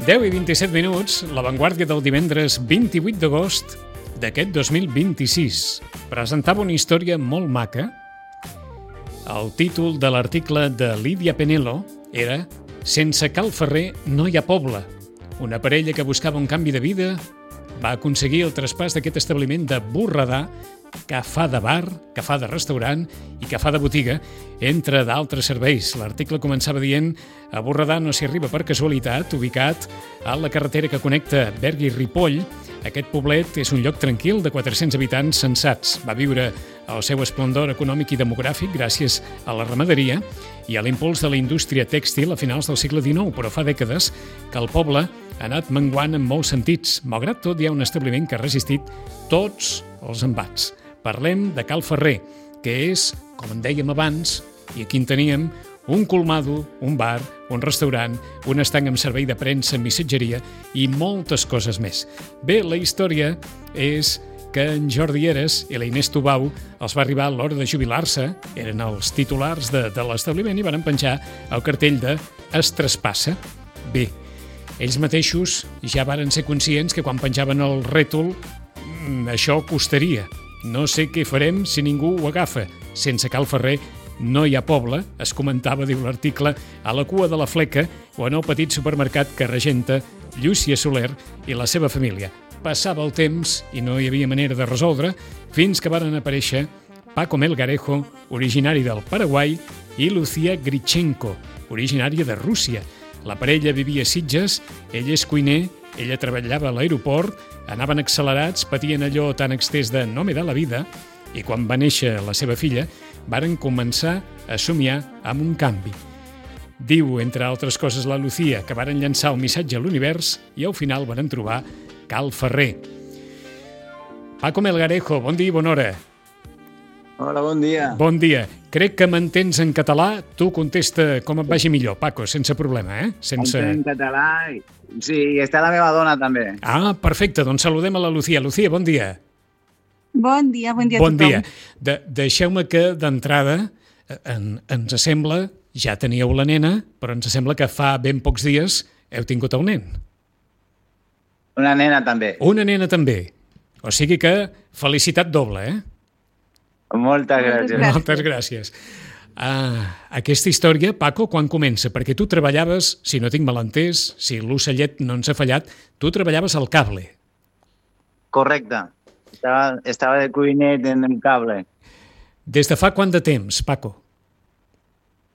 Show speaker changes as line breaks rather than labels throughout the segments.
10:27, l'avantguàrdia del divendres 28 d'agost d'aquest 2026. Presentava una història molt maca. El títol de l'article de Lídia Penelo era «Sense Cal Ferrer no hi ha poble». Una parella que buscava un canvi de vida va aconseguir el traspàs d'aquest establiment de Borredà, que fa de bar, que fa de restaurant i que fa de botiga, entre d'altres serveis. L'article començava dient: a Borredà no s'hi arriba per casualitat, ubicat a la carretera que connecta Berga i Ripoll. Aquest poblet és un lloc tranquil de 400 habitants sensats. Va viure el seu esplendor econòmic i demogràfic gràcies a la ramaderia i a l'impuls de la indústria tèxtil a finals del segle XIX, però fa dècades que el poble ha anat menguant en molts sentits. Malgrat tot, hi ha un establiment que ha resistit tots els embats. Parlem de Cal Ferrer, que és, com en dèiem abans, i aquí en teníem, un colmado, un bar, un restaurant, un estanc amb servei de premsa, missatgeria i moltes coses més. Bé, la història és que en Jordi Heras i la Inés Tubau els va arribar a l'hora de jubilar-se, eren els titulars de l'establiment i van penjar el cartell de «Es traspassa». Bé, ells mateixos ja varen ser conscients que quan penjaven el rètol això costaria. No sé què farem si ningú ho agafa. Sense Cal Ferrer no hi ha poble, es comentava, diu l'article, a la cua de la Fleca o en el petit supermercat que regenta Llúcia Soler i la seva família. Passava el temps i no hi havia manera de resoldre fins que varen aparèixer Paco Melgarejo, originari del Paraguai, i Lucía Grichenko, originària de Rússia. La parella vivia a Sitges, ell és cuiner, ella treballava a l'aeroport, anaven accelerats, patien allò tan extès de no me da la vida, i quan va néixer la seva filla, varen començar a somiar amb un canvi. Diu, entre altres coses, la Lucía, que varen llançar un missatge a l'univers i al final varen trobar Cal Ferrer. Paco Melgarejo, bon dia i bona hora.
Hola, bon dia.
Bon dia. Crec que m'entens en català. Tu contesta com et vagi millor, Paco, sense problema, eh? Sense...
En català, sí, i està la meva dona també.
Ah, perfecte, doncs saludem a la Lucía. Lucía, bon dia.
Bon dia a tothom.
Bon dia. Deixeu-me que d'entrada ens sembla, ja teníeu la nena, però ens sembla que fa ben pocs dies heu tingut el nen.
Una nena també.
Una nena també. O sigui que felicitat doble, eh?
Moltes gràcies.
Moltes gràcies. Aquesta història, Paco, quan comença? Perquè tu treballaves, si no tinc mal entès, si l'ocellet no ens ha fallat, tu treballaves al cable.
Correcte. Estava de cuinet en el cable.
Des de fa quant de temps, Paco?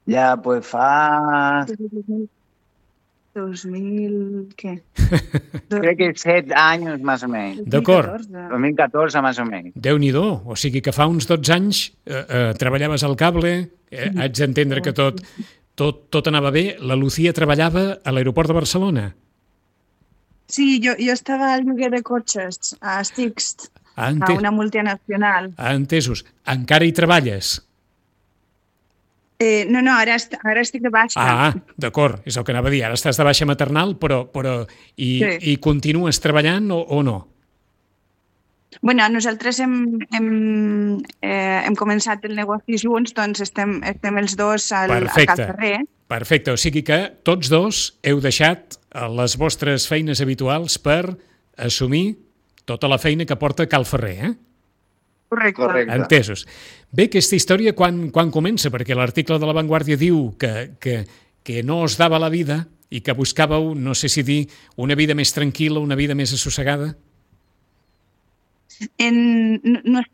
Ja, pues fa...
2000, què?
Crec que 7 anys, més o menys.
D'acord.
2014, més o menys.
Déu-n'hi-do, o sigui que fa uns 12 anys treballaves al cable, haig d'entendre que tot anava bé. La Lucía treballava a l'aeroport de Barcelona.
Sí, jo estava al lloguer de cotxes a Sixt, a una multinacional.
Entesos. Encara hi treballes?
No, ara estic de baixa.
Ah, d'acord, és el que anava a dir. Ara estàs de baixa maternal, però i continues treballant o no?
Bueno, nosaltres hem començat el negoci junts, doncs estem els dos al Cal Ferrer.
Perfecte, o sigui que tots dos heu deixat les vostres feines habituals per assumir tota la feina que porta Cal Ferrer, eh?
Correcte.
Entesos. Bé, aquesta història quan comença? Perquè l'article de l'Avantguàrdia diu que no us dava la vida i que buscàveu, no sé si dir, una vida més tranquil·la, una vida més assossegada?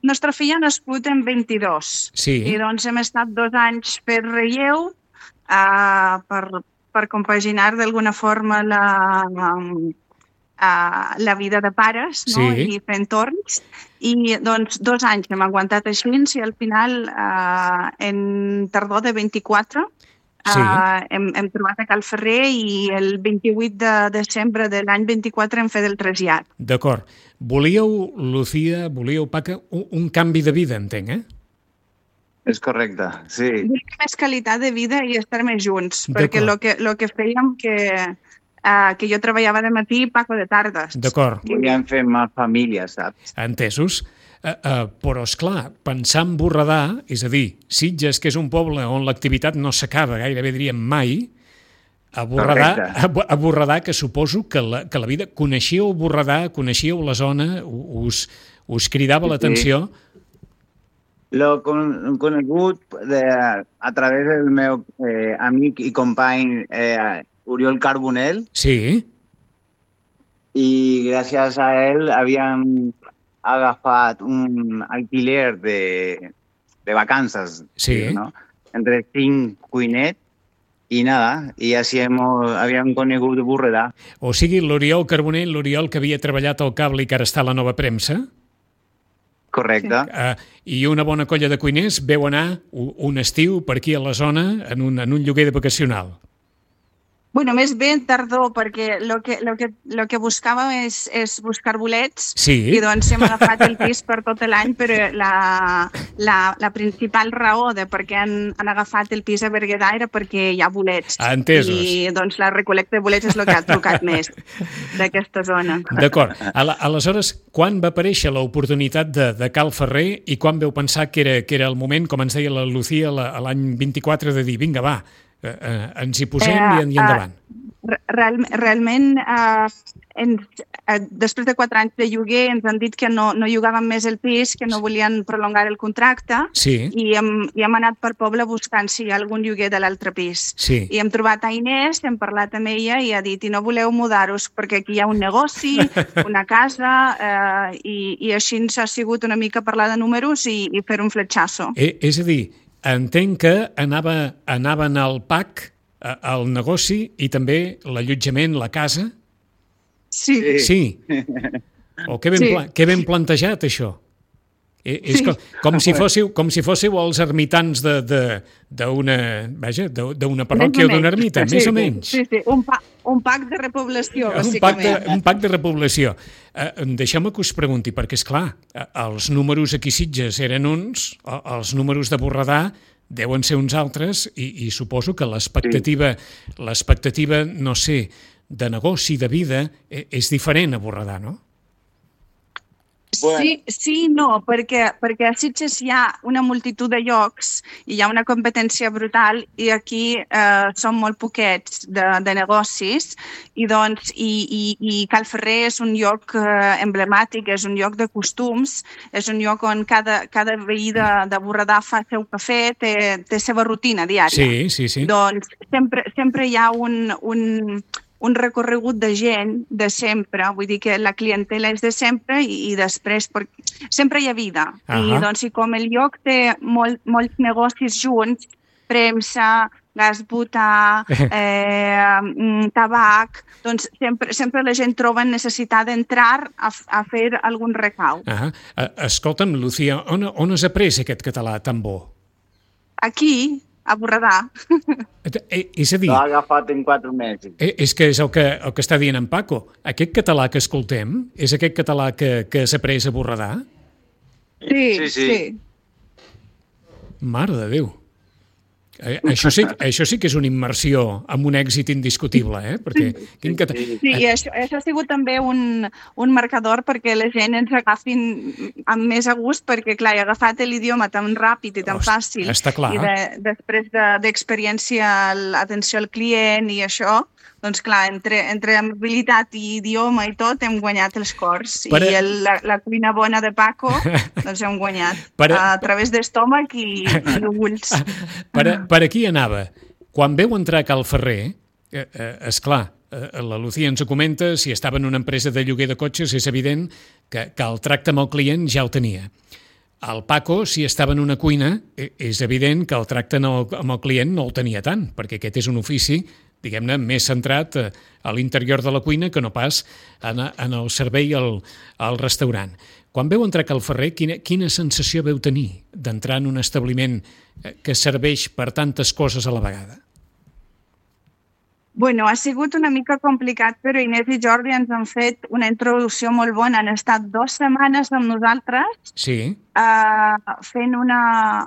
Nostra filla ha nascut en 22.
Sí.
I doncs hem estat 2 anys per relleu per compaginar d'alguna forma la vida de pares, no?
Sí.
I fent torns. I doncs 2 anys hem aguantat així i al final, en tardor de 24,
sí.
Hem trobat a Cal Ferrer i el 28 de desembre de l'any 24 hem fet el trasllat.
D'acord. Volíeu, Lucía, Paco, un canvi de vida, entenc, eh?
És correcte, sí.
Més qualitat de vida i estar més junts, perquè el que fèiem que jo treballava de matí i Paco de tardes.
D'acord.
Volíem fer més família, saps?
Entesos. Però, esclar, pensar en Borredà, és a dir, Sitges, que és un poble on l'activitat no s'acaba, gairebé diríem mai, A Borredà, que suposo que la vida... Coneixíeu Borredà, coneixíeu la zona, us cridava l'atenció?
L'he conegut a través del meu amic i company Oriol Carbonell.
Sí.
I gràcies a ell havíem agafat un alquiler de vacances.
Sí.
¿no? Entre 5 cuinets. I nada, i així havíem conegut Borredà.
O sigui, l'Oriol Carbonell, l'Oriol que havia treballat al cable i que ara està a la Nova Premsa.
Correcte.
I una bona colla de cuiners veu anar un estiu per aquí a la zona en un lloguer vacacional.
Bueno, més bé tardor, perquè lo que buscàvem és buscar bolets,
sí.
I doncs hem agafat el pis per tot l'any, però la principal raó de per què han agafat el pis a Berguedà era perquè hi ha bolets.
Entesos.
I doncs la recol·lecta de bolets és el que ha trucat més d'aquesta zona.
D'acord. Aleshores, quan va aparèixer l'oportunitat de Cal Ferrer i quan veu pensar que era el moment, com ens deia la Lucía, l'any 24, de dir, vinga, va, ens hi posem i endavant.
Realment, després de 4 anys de lloguer ens han dit que no llogàvem més el pis, que no volien prolongar el contracte,
sí.
I hem anat per poble buscant si hi ha algun lloguer de l'altre pis.
Sí.
I hem trobat a Inés, hem parlat amb ella i ha dit, i no voleu mudar-vos perquè aquí hi ha un negoci, una casa, i així ens ha sigut una mica parlar de números i fer un fletxasso.
És a dir, entenc que anaven al PAC, al negoci i també l'allotjament, la casa?
Sí.
Sí. O que ben plantejat, això. És com si fóssiu els ermitans d'una parròquia o d'una ermita, més o menys.
Sí, un PAC de repoblació, bàsicament.
Un PAC de repoblació. Deixeu-me que us pregunti, perquè, esclar, els números aquí a Sitges eren uns, els números de Borredà deuen ser uns altres i suposo que l'expectativa, no sé, de negoci, de vida, és diferent a Borredà, no?
Sí, no, perquè a Sitges hi ha una multitud de llocs i hi ha una competència brutal i aquí són molt poquets de negocis i Cal Ferrer és un lloc emblemàtic, és un lloc de costums, és un lloc on cada veí de Borredà fa el seu cafè, té seva rutina diària.
Sí.
Doncs sempre hi ha un recorregut de gent de sempre, vull dir que la clientela és de sempre i després sempre hi ha vida. I doncs i com el lloc té molts negocis junts, premsa, gas butà, tabac, doncs sempre la gent troba necessitat d'entrar a fer algun recau.
Escolta'm, Lucía, on has après aquest català tan bo?
Aquí, a Borredà.
És a dir...
L'ha agafat en 4 mesos.
És que és el que està dient en Paco. Aquest català que escoltem és aquest català que s'ha après a Borredà?
Sí.
Mare de Déu. Això sí que és una immersió amb un èxit indiscutible, perquè...
Sí, i això ha sigut també un marcador perquè la gent ens agafin amb més a gust, perquè, clar, he agafat l'idioma tan ràpid i tan fàcil.
Està clar.
I després d'experiència, l'atenció al client i això, doncs, clar, entre amabilitat i idioma i tot, hem guanyat els cors. I la cuina bona de Paco, doncs hem guanyat a través d'estómac i ulls.
Per aquí anava. Quan veu entrar Cal Ferrer, esclar, la Lucía ens ho comenta, si estava en una empresa de lloguer de cotxes, és evident que el tracte amb el client ja el tenia. El Paco, si estava en una cuina, és evident que el tracte amb el client no el tenia tant, perquè aquest és un ofici, diguem-ne, més centrat a l'interior de la cuina que no pas en el servei al restaurant. Quan veu entrar Cal Ferrer, quina sensació veu tenir d'entrar en un establiment que serveix per tantes coses a la vegada?
Bueno, ha sigut una mica complicat, però Inés i Jordi ens han fet una introducció molt bona. Han estat 2 setmanes amb nosaltres fent una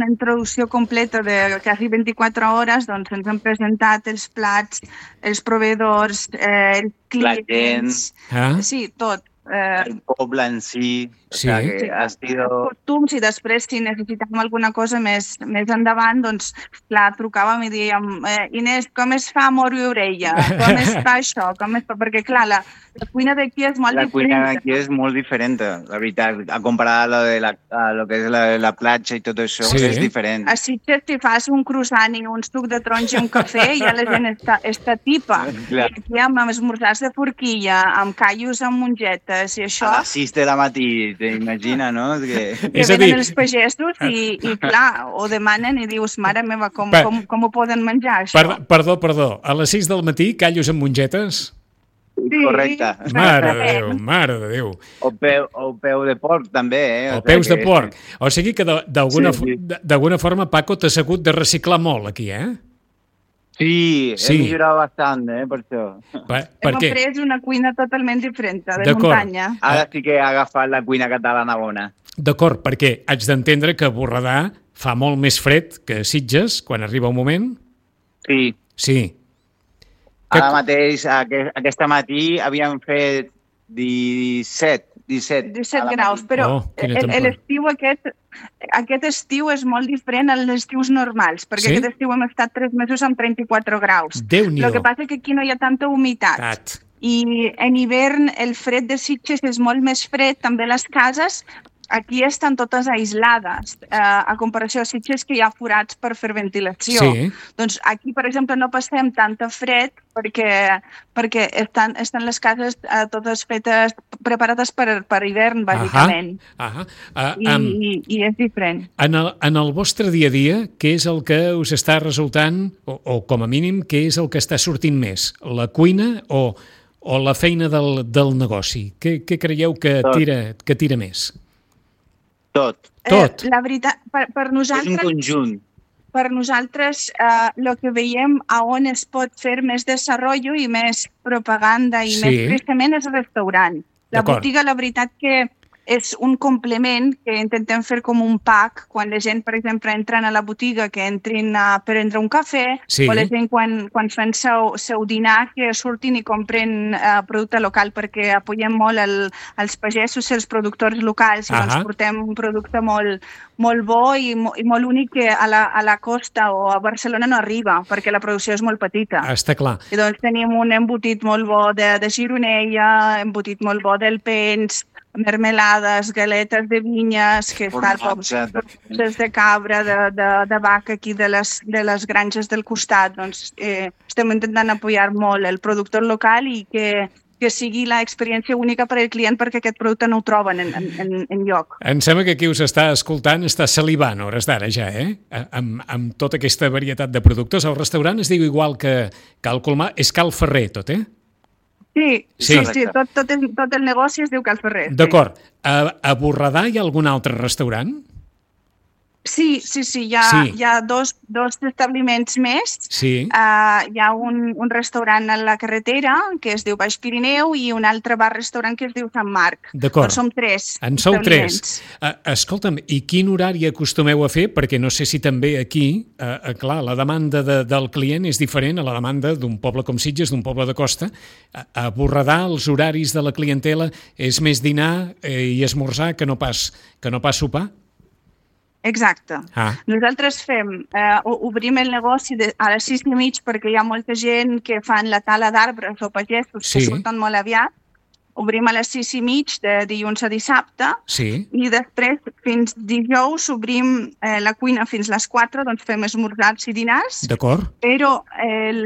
introducció completa de quasi 24 hores. Doncs ens han presentat els plats, els proveïdors, els clients, sí, tot.
el poble en sí. O sea, que ha sido...
costums, i després, si necessitàvem alguna cosa més endavant, doncs, clar, trucàvem i dèiem Inés, com es fa moro i orella? Com es fa això? Perquè, clar, la cuina d'aquí és molt diferent.
La cuina d'aquí és molt diferent, la veritat. A comparar a lo que és la platja i tot això, és diferent.
A Sitges, si fas un croissant i un suc de taronja i un cafè, ja la gent està tipa. I aquí amb esmorzars de forquilla, amb callos amb mongetes i això...
A les 6 de la matí, t'imagina, no?
Que venen els pagesos i clar, ho demanen i dius, mare meva, com ho poden menjar, això?
Perdó. A les 6 del matí, callos amb mongetes?
Sí, correcte.
Mare de Déu.
O peu de porc, també,
O peus de porc. O sigui que d'alguna forma, Paco, t'has hagut de reciclar molt aquí, eh?
Sí, he millorat bastant, per això.
Hem après una cuina totalment diferent, de muntanya.
Ara sí que he agafat la cuina catalana bona.
D'acord, perquè haig d'entendre que a Borredà fa molt més fred que a Sitges, quan arriba un moment? Sí.
Ara mateix, aquest matí, havíem fet 17
graus, però l'estiu aquest estiu és molt diferent als estius normals, perquè aquest estiu hem estat 3 mesos amb 34 graus.
Déu-n'hi-do.
El que passa és que aquí no hi ha tanta humitat. I en hivern el fred de Sitges és molt més fred, també les cases aquí estan totes aislades, a comparació a Sitges que hi ha forats per fer ventilació. Doncs aquí, per exemple, no passem tanta fred perquè estan les cases totes fetes, preparades per hivern, bàsicament. I és diferent.
En el vostre dia a dia, què és el que us està resultant, o com a mínim, què és el que està sortint més? La cuina o la feina del negoci? Què creieu que tira més?
Tot.
La veritat, per nosaltres...
És un conjunt.
Per nosaltres, el que veiem a on es pot fer més desenvolupament i més propaganda i més creixement és el restaurant. La botiga, la veritat que és un complement que intentem fer com un pack quan la gent, per exemple, entren a la botiga, que entrin a prendre un cafè, o la gent quan fan seu dinar, que surtin i compren producte local, perquè apoyem molt els pagesos i els productors locals i doncs portem un producte molt bo i molt únic que a la costa o a Barcelona no arriba, perquè la producció és molt petita.
Està clar.
I doncs tenim un embotit molt bo de gironella, embotit molt bo d'Alpens, mermelades, galetes de vinyes, que estan de cabra, de vaca aquí de les granges del costat. Doncs estem intentant apoyar molt el productor local i que sigui l'experiència única per al client perquè aquest producte no ho troben en lloc.
Em sembla que qui us està escoltant està salivant a hores d'ara ja, amb tota aquesta varietat de productes. El restaurant es diu igual que Cal Colmar, és Cal Ferrer tot,
Sí, tot el negoci es diu Cal Ferrer.
D'acord. A Borredà hi ha algun altre restaurant?
Sí, hi ha dos establiments més. Hi ha un restaurant a la carretera que es diu Baix Pirineu i un altre bar-restaurant que es diu Sant Marc.
D'acord.
Però som 3
En sou 3. Escolta'm, i quin horari acostumeu a fer? Perquè no sé si també aquí, clar, la demanda del client és diferent a la demanda d'un poble com Sitges, d'un poble de costa. A Borredà els horaris de la clientela és més dinar i esmorzar que no pas sopar?
Exacte. Nosaltres obrim el negoci a les 6:30 perquè hi ha molta gent que fan la tala d'arbres o pagesos que surten molt aviat. Obrim a les 6:30 de dilluns a dissabte i després fins dijous obrim la cuina fins les 4, doncs fem esmorzars i dinars.
D'acord.
Però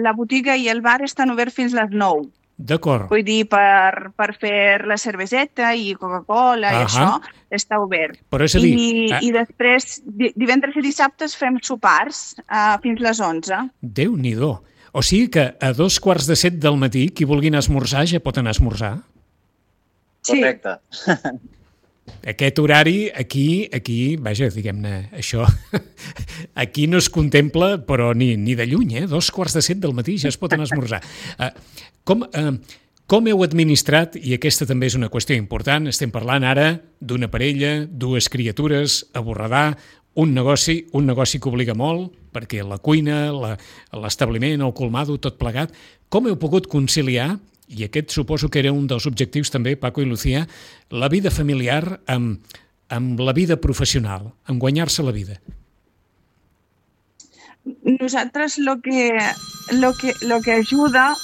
la botiga i el bar estan oberts fins les 9.
D'acord.
Vull dir, per fer la cerveseta i Coca-Cola i això està obert.
Però és a dir...
I després, divendres i dissabtes fem sopars fins les 11.
Déu-n'hi-do. O sigui que a 2:45 del matí, qui vulgui anar a esmorzar ja pot anar a esmorzar?
Correcte.
Aquest horari, aquí, vaja, diguem-ne, això, aquí no es contempla, però ni de lluny, 2:45 del matí ja es pot anar a esmorzar. Com heu administrat, i aquesta també és una qüestió important, estem parlant ara d'una parella, 2 criatures, a Borredà, un negoci que obliga molt, perquè la cuina, l'establiment, el colmado, tot plegat. Com heu pogut conciliar i aquest suposo que era un dels objectius també, Paco i Lucía, la vida familiar amb la vida professional, amb guanyar-se la vida.
Nosaltres lo que ajuda,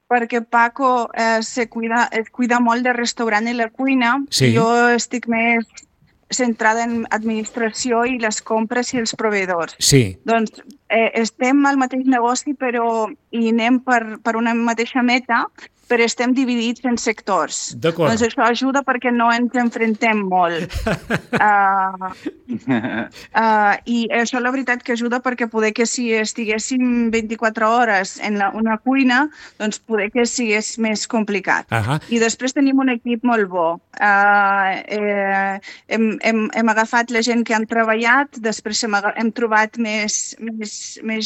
perquè Paco es cuida molt de restaurant i la cuina,
Sí.
Jo estic més centrada en administració i les compres i els proveïdors.
Sí,
Doncs estem al mateix negoci i anem per una mateixa meta, però estem dividits en sectors.
D'acord.
Doncs això ajuda perquè no ens enfrontem molt. I això la veritat que ajuda perquè poder que si estiguéssim 24 hores en una cuina, doncs poder que sigués més complicat. I després tenim un equip molt bo. Hem agafat la gent que han treballat, després hem trobat més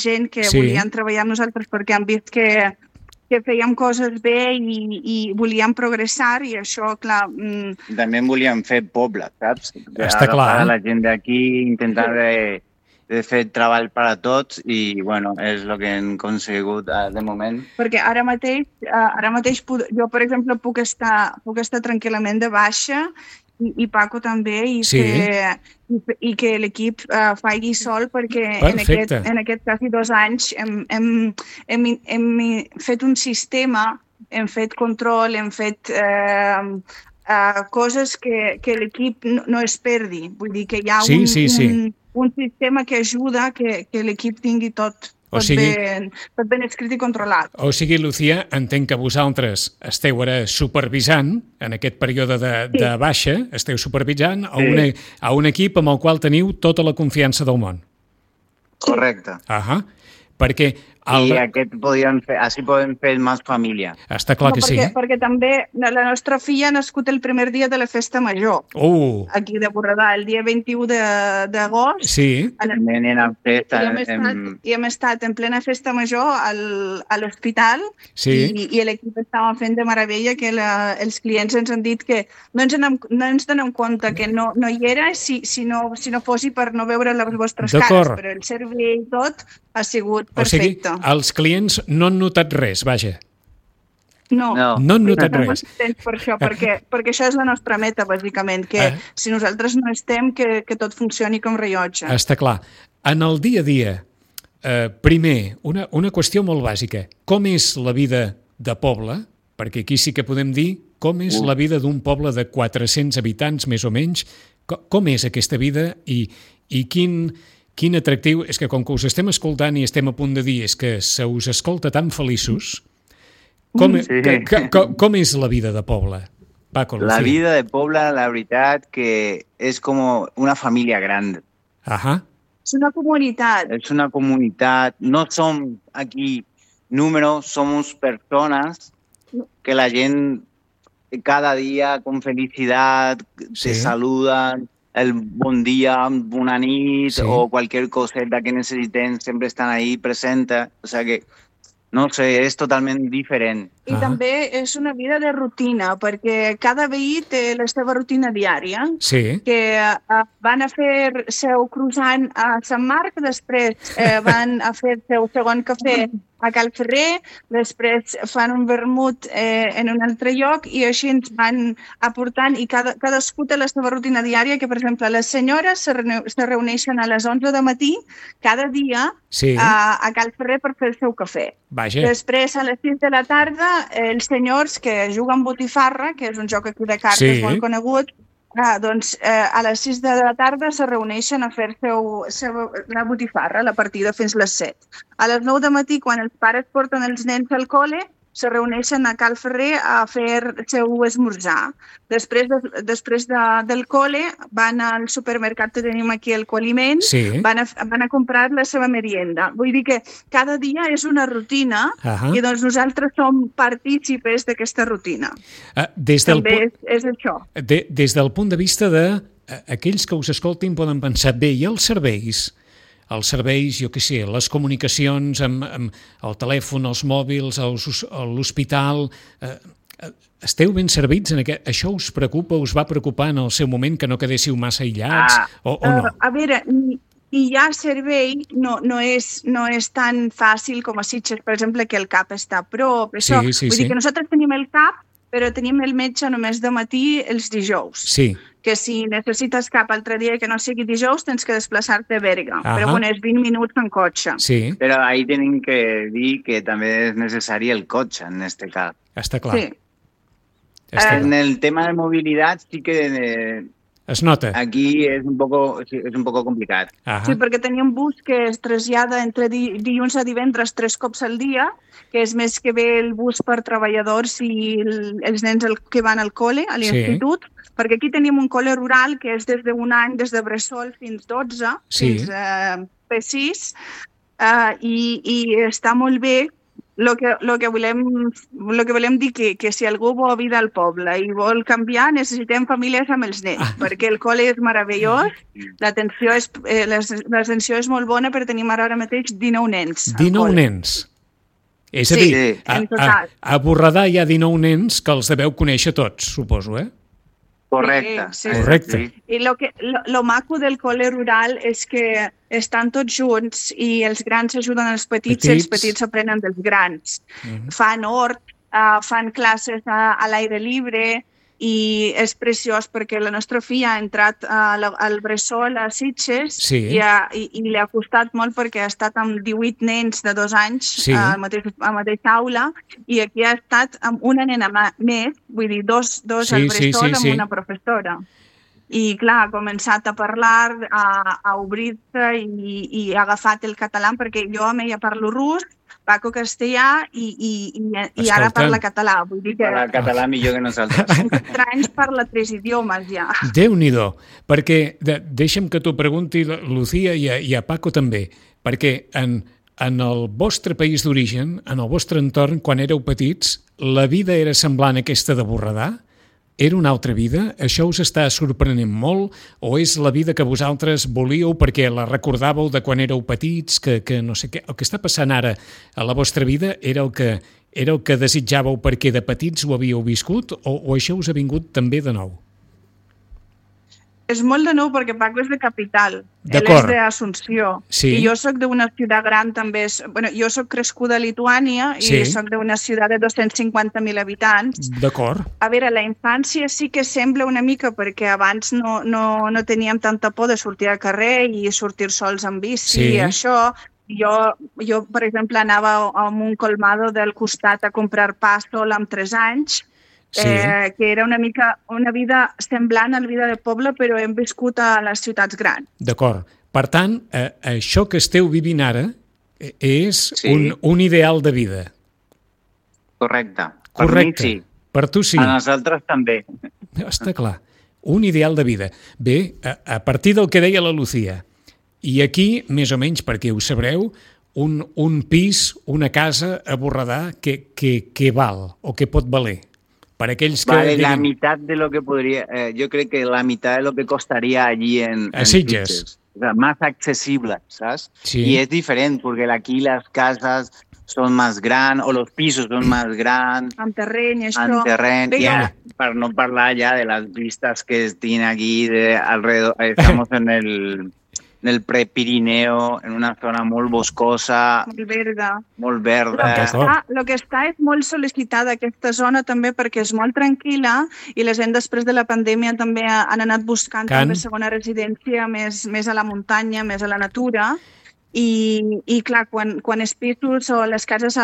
gent que volien treballar amb nosaltres perquè han vist que fèiem coses bé i volíem progressar i això, clar...
També volíem fer poble, saps?
Està clar.
La gent d'aquí intentant de fer treball per a tots i, bueno, és el que hem aconsegut de moment.
Perquè ara mateix jo, per exemple, puc estar tranquil·lament de baixa i Paco també, i que l'equip faci sol, perquè en aquest quasi 2 anys hem fet un sistema, hem fet control, hem fet coses que l'equip no es perdi. Vull dir que hi ha un sistema que ajuda que l'equip tingui tot ben escrit i controlat.
O sigui, Lucía, entenc que vosaltres esteu ara supervisant, en aquest període de baixa, esteu supervisant a un equip amb el qual teniu tota la confiança del món.
Correcte.
Perquè...
I així podem fer més família.
Està clar que sí.
Perquè també la nostra filla ha nascut el primer dia de la festa major. Aquí de Borredà, el dia 21 d'agost.
Sí.
I hem estat en plena festa major a l'hospital i l'equip estava fent de meravella, que els clients ens han dit que no ens donem compte que no hi era si no fossi per no veure les vostres cares, però el servei i tot ha sigut perfecte.
O sigui, els clients no han notat res, vaja.
No
han notat res.
Per això, perquè això és la nostra meta, bàsicament, que si nosaltres no estem, que tot funcioni com rellotge.
Està clar. En el dia a dia, primer, una qüestió molt bàsica. Com és la vida de poble? Perquè aquí sí que podem dir com és la vida d'un poble de 400 habitants, més o menys. Com és aquesta vida i quin atractiu... És que com que us estem escoltant i estem a punt de dir és que se us escolta tan feliços, com és la vida de poble? Paco, Lucía.
La vida de poble, la veritat, que és com una família gran.
És una comunitat.
És una comunitat. No som aquí números, somos persones que la gent cada dia con felicitat te saludan, el bon dia, bona nit o qualsevol coseta que necessitem sempre estan ahí presentes. O sea que, no sé, és totalment diferent.
I també és una vida de rutina, perquè cada veí té la seva rutina diària, que van a fer seu croissant a Sant Marc, després van a fer seu segon cafè a Cal Ferrer, després fan un vermut en un altre lloc i així ens van aportant i cadascú té la seva rutina diària, que per exemple les senyores se reuneixen a les 11 de matí cada dia a Cal Ferrer per fer el seu cafè. Després a les 6 de la tarda els senyors que juguen botifarra, que és un joc aquí de cartes molt conegut, doncs a les 6 de la tarda se reuneixen a fer la botifarra, la partida fins les 7. A les 9 de matí, quan els pares porten els nens al col·le, se reuneixen a Cal Ferrer a fer el seu esmorzar. Després del col·le van al supermercat que tenim aquí al Coaliment, van a comprar la seva merienda. Vull dir que cada dia és una rutina i doncs nosaltres som partícipes d'aquesta rutina. També és això.
Des del punt de vista d'aquells que us escoltin poden pensar, bé, i els serveis? Els serveis, jo què sé, les comunicacions amb el telèfon, els mòbils, l'hospital... Esteu ben servits? Això us preocupa, us va preocupar en el seu moment que no quedéssiu massa aïllats o no?
A veure, i ja servei no és tan fàcil com a Sitges, per exemple, que el CAP està a prop. Això, vull dir que nosaltres tenim el CAP, però tenim el metge només de matí els dijous.
Sí.
Que si necessites cap altre dia que no sigui dijous, tens que desplaçar-te a Berga. Però bueno, és 20 minuts en cotxe.
Sí.
Però ahí tenim que dir que també és necessari el cotxe, en este cas.
Està clar.
Sí.
En el tema de mobilitat sí que...
Es nota.
Aquí és un poco complicat.
Sí, perquè tenim bus que es trasllada entre dilluns a divendres 3 cops al dia, que és més que bé el bus per treballadors i els nens que van al col·le, a l'institut, perquè aquí tenim un col·le rural que és des d'un any, des de bressol fins 12, fins P6, i està molt bé. Lo que volem dir que si algú vol vida al poble i vol canviar, necessitem famílies amb els nens, perquè el col·le és meravellós, l'atenció és molt bona, però tenim ara mateix 19 nens.
19 nens? És a dir, a Borredà hi ha 19 nens que els deveu conèixer tots, suposo,
Correcte.
Sí.
Correcte.
I lo maco del col·le rural és que estan tots junts i els grans ajuden als petits i els petits aprenen dels grans. Fan hort, fan classes a l'aire lliure i és preciós perquè la nostra filla ha entrat al bressol a Sitges i li ha costat molt perquè ha estat amb 18 nens de 2 anys a la mateixa aula i aquí ha estat amb una nena més, vull dir, dos al bressol amb una professora. I, clar, ha començat a parlar, a obrir-se i ha agafat el català perquè jo amb ella parlo rus, Paco castellà i ara parla català. Vull dir que...
Parla català millor que nosaltres.
Anys parla 3 idiomes ja.
Déu-n'hi-do, perquè deixa'm que t'ho pregunti, Lucía, i a Paco també, perquè en el vostre país d'origen, en el vostre entorn, quan éreu petits, la vida era semblant a aquesta de Borredà? Era una altra vida? Això us està sorprenent molt? O és la vida que vosaltres volíeu perquè la recordàveu de quan éreu petits, que no sé què? El que està passant ara a la vostra vida era el que desitjàveu perquè de petits ho havíeu viscut o això us ha vingut també de nou?
És molt de nou perquè Paco és de capital, ell és d'Assumpció i jo soc d'una ciutat gran també. Jo soc crescuda a Lituània i soc d'una ciutat de 250.000 habitants.
D'acord.
A veure, la infància sí que sembla una mica perquè abans no teníem tanta por de sortir al carrer i sortir sols en bici i això. Jo, per exemple, anava a un colmado del costat a comprar pa sol amb 3 anys, que era una mica una vida semblant a la vida del poble, però hem viscut a les ciutats grans.
D'acord. Per tant, això que esteu vivint ara és un ideal de vida.
Correcte.
Correcte.
Per mi sí.
Per tu sí.
A nosaltres també.
Està clar. Un ideal de vida. Bé, a partir del que deia la Lucía, i aquí, més o menys, perquè ho sabreu, un pis, una casa a Borredà, què val o què pot valer? Para aquells que
vale la mitad de lo que podría, yo creo que la mitad de lo que costaría allí en
Sitges.
O sea, más accesible, ¿sabes?
Sí.
Y es diferente porque aquí las casas son más grandes o los pisos son más grandes.
Amb terreny, això.
Amb terreny, ja, para no parlar ya de las vistas que tiene aquí de alrededor. Estamos en el Prepirineo, en una zona molt boscosa, molt verda.
El que està és molt sol·licitada aquesta zona també perquè és molt tranquil·la i la gent després de la pandèmia també han anat buscant també segona residència més a la muntanya, més a la natura i clar, quan els pisos o les cases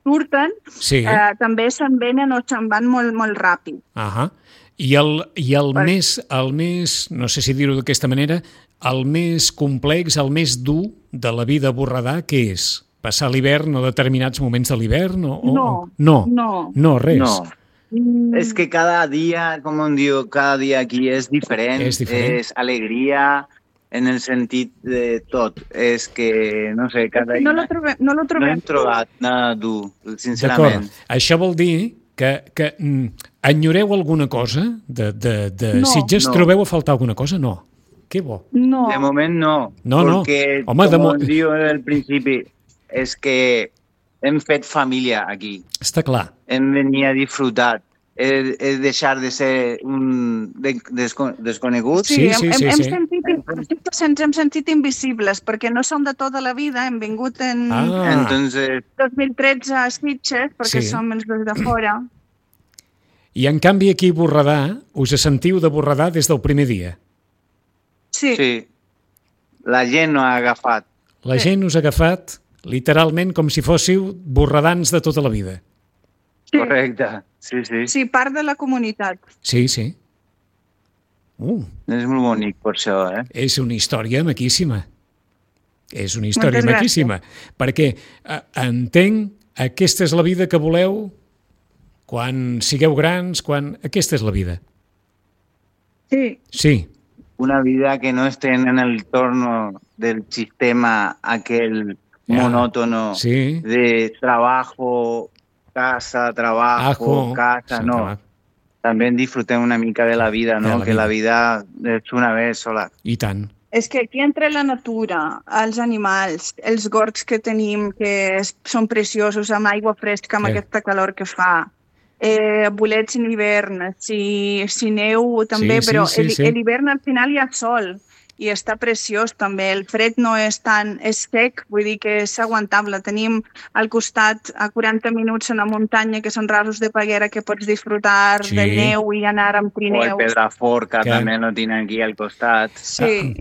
surten, també se'n venen o se'n van molt ràpid.
I el més, no sé si dir-ho d'aquesta manera, el més complex, el més dur de la vida a Borredà, què és? Passar l'hivern o determinats moments de l'hivern? No, res.
No. Es que cada día, como digo, cada día aquí es diferente, es alegría en el sentit de tot. És que, no sé, cada dia...
No lo trobem.
No hem trobat nada dur, sincerament.
D'acord. Això vol dir que enyoreu alguna cosa de Sitges? Trobeu a faltar alguna cosa? No. Que bo.
No.
De moment no.
Porque,
home, como digo en el principi, és que hem fet família aquí.
Està clar.
Hem venit a disfrutar. és deixar de ser un desconegut.
Sí. Ens hem sentit invisibles, perquè no som de tota la vida, hem vingut en
Entonces
2013 a Sitges, perquè som els dos de fora.
I en canvi aquí a Borredà us sentiu de Borredà des del primer dia.
Sí. La gent no ha agafat.
La gent us ha agafat literalment com si fóssiu borredans de tota la vida.
Sí.
Correcte, sí.
Sí, part de la comunitat.
Sí.
És molt bonic per això,
És una història maquíssima. És una història maquíssima. Perquè entenc, aquesta és la vida que voleu quan sigueu grans, Aquesta és la vida. Sí.
Una vida que no esté en el torno del sistema aquel monótono de trabajo, casa, trabajo, casa, no.
Trabajo.
També disfrutem una mica de la vida, no? Que la vida és una vez sola.
I tant.
És que aquí entre la natura, els animals, els gorgs que tenim, que són preciosos, amb aigua fresca, amb aquesta calor que fa, bolets en hivern, si neu també, però l'hivern al final hi ha sol i està preciós també. El fred no és tan sec, vull dir que és aguantable. Tenim al costat a 40 minuts una muntanya que són rasos de Peguera que pots disfrutar de neu i anar amb trineus.
O el Pedrafort, que també no tenen aquí al costat.
Sí.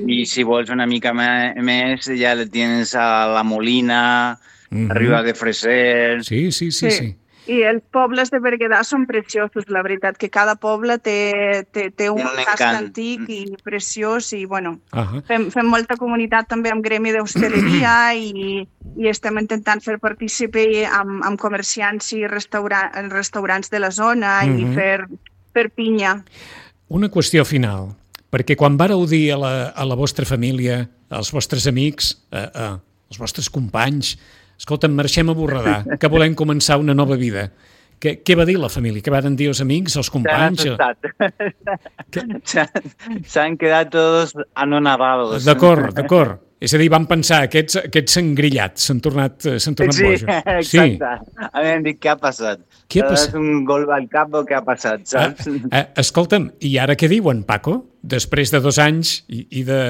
I si vols una mica més, ja tens a la Molina, Riba de Freser...
Sí.
I els pobles de Berguedà són preciosos, la veritat, que cada poble té un casc antic i preciós i, bueno, fem molta comunitat també amb gremi d'hostaleria i estem intentant fer partícipe amb comerciants i restaurants de la zona i fer pinya.
Una qüestió final, perquè quan vareu dir a la vostra família, als vostres amics, als vostres companys, escolta'm, marxem a Borredà, que volem començar una nova vida. Què va dir la família? Què van dir els amics, els companys?
S'han quedat tots anonadados.
D'acord. És a dir, van pensar, aquests s'han grillat, s'han tornat bojos.
Sí, exacte. A mi em dic, què ha passat?
Què ha passat?
Un gol al cap o què ha passat, saps?
Escolta'm, i ara què diuen, Paco? Després de 2 anys i de...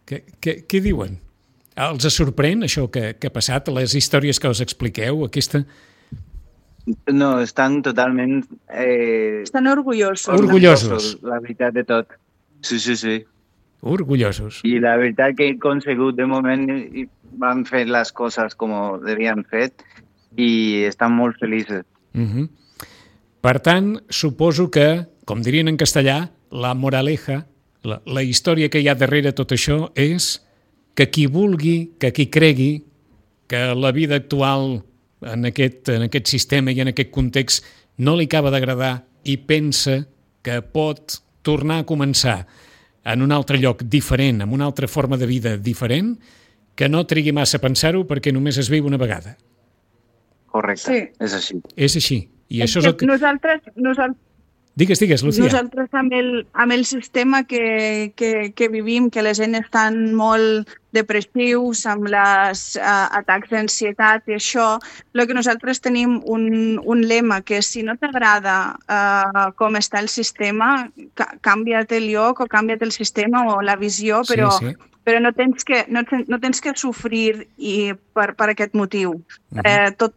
Què diuen? Els sorprèn això que ha passat, les històries que us expliqueu, aquesta...
No, estan totalment...
Estan orgullosos.
Orgullosos.
La veritat de tot. Sí.
Orgullosos.
I la veritat que he aconsegut de moment van fer les coses com devien fet i estan molt feliços.
Per tant, suposo que, com dirien en castellà, la moraleja, la història que hi ha darrere tot això és que qui vulgui, que qui cregui que la vida actual en aquest sistema i en aquest context no li acaba d'agradar i pensa que pot tornar a començar en un altre lloc diferent, amb una altra forma de vida diferent, que no trigui massa a pensar-ho perquè només es viu una vegada.
Correcte, és així.
És així. I això és el que...
Nosaltres...
Digues, Lucía.
Nosaltres amb el sistema que vivim, que la gent estan molt depressius, amb els atacs d'ansietat i això, el que nosaltres tenim un lema, que si no t'agrada com està el sistema, canvia't el lloc o canvia't el sistema o la visió, però no tens que sofrir per aquest motiu. Tu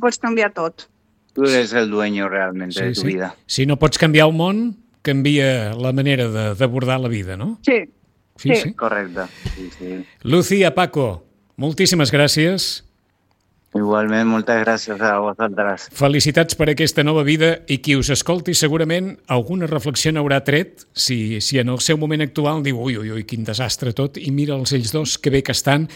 pots canviar tot.
Tu eres el dueño realment de tu vida.
Si no pots canviar el món, canvia la manera d'abordar la vida, no?
Sí.
Correcte. Sí.
Lucía, Paco, moltíssimes gràcies.
Igualment, moltes gràcies a vosaltres.
Felicitats per aquesta nova vida i qui us escolti segurament alguna reflexió n'haurà tret si en el seu moment actual diu ui, quin desastre tot, i mira'ls ells dos, que bé que estan.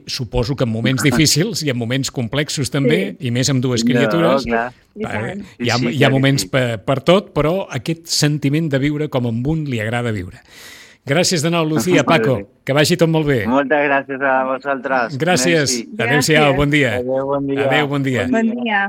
Suposo que en moments difícils i en moments complexos també, i més amb 2 criatures. Hi ha moments per tot, però aquest sentiment de viure com a un li agrada viure. Gràcies de nou, Lucía, Paco, que vagi tot molt bé.
Moltes gràcies a vosaltres.
Gràcies. Adéu-siau, bon dia.
Adéu, bon dia.
Adéu, bon dia.
Bon dia.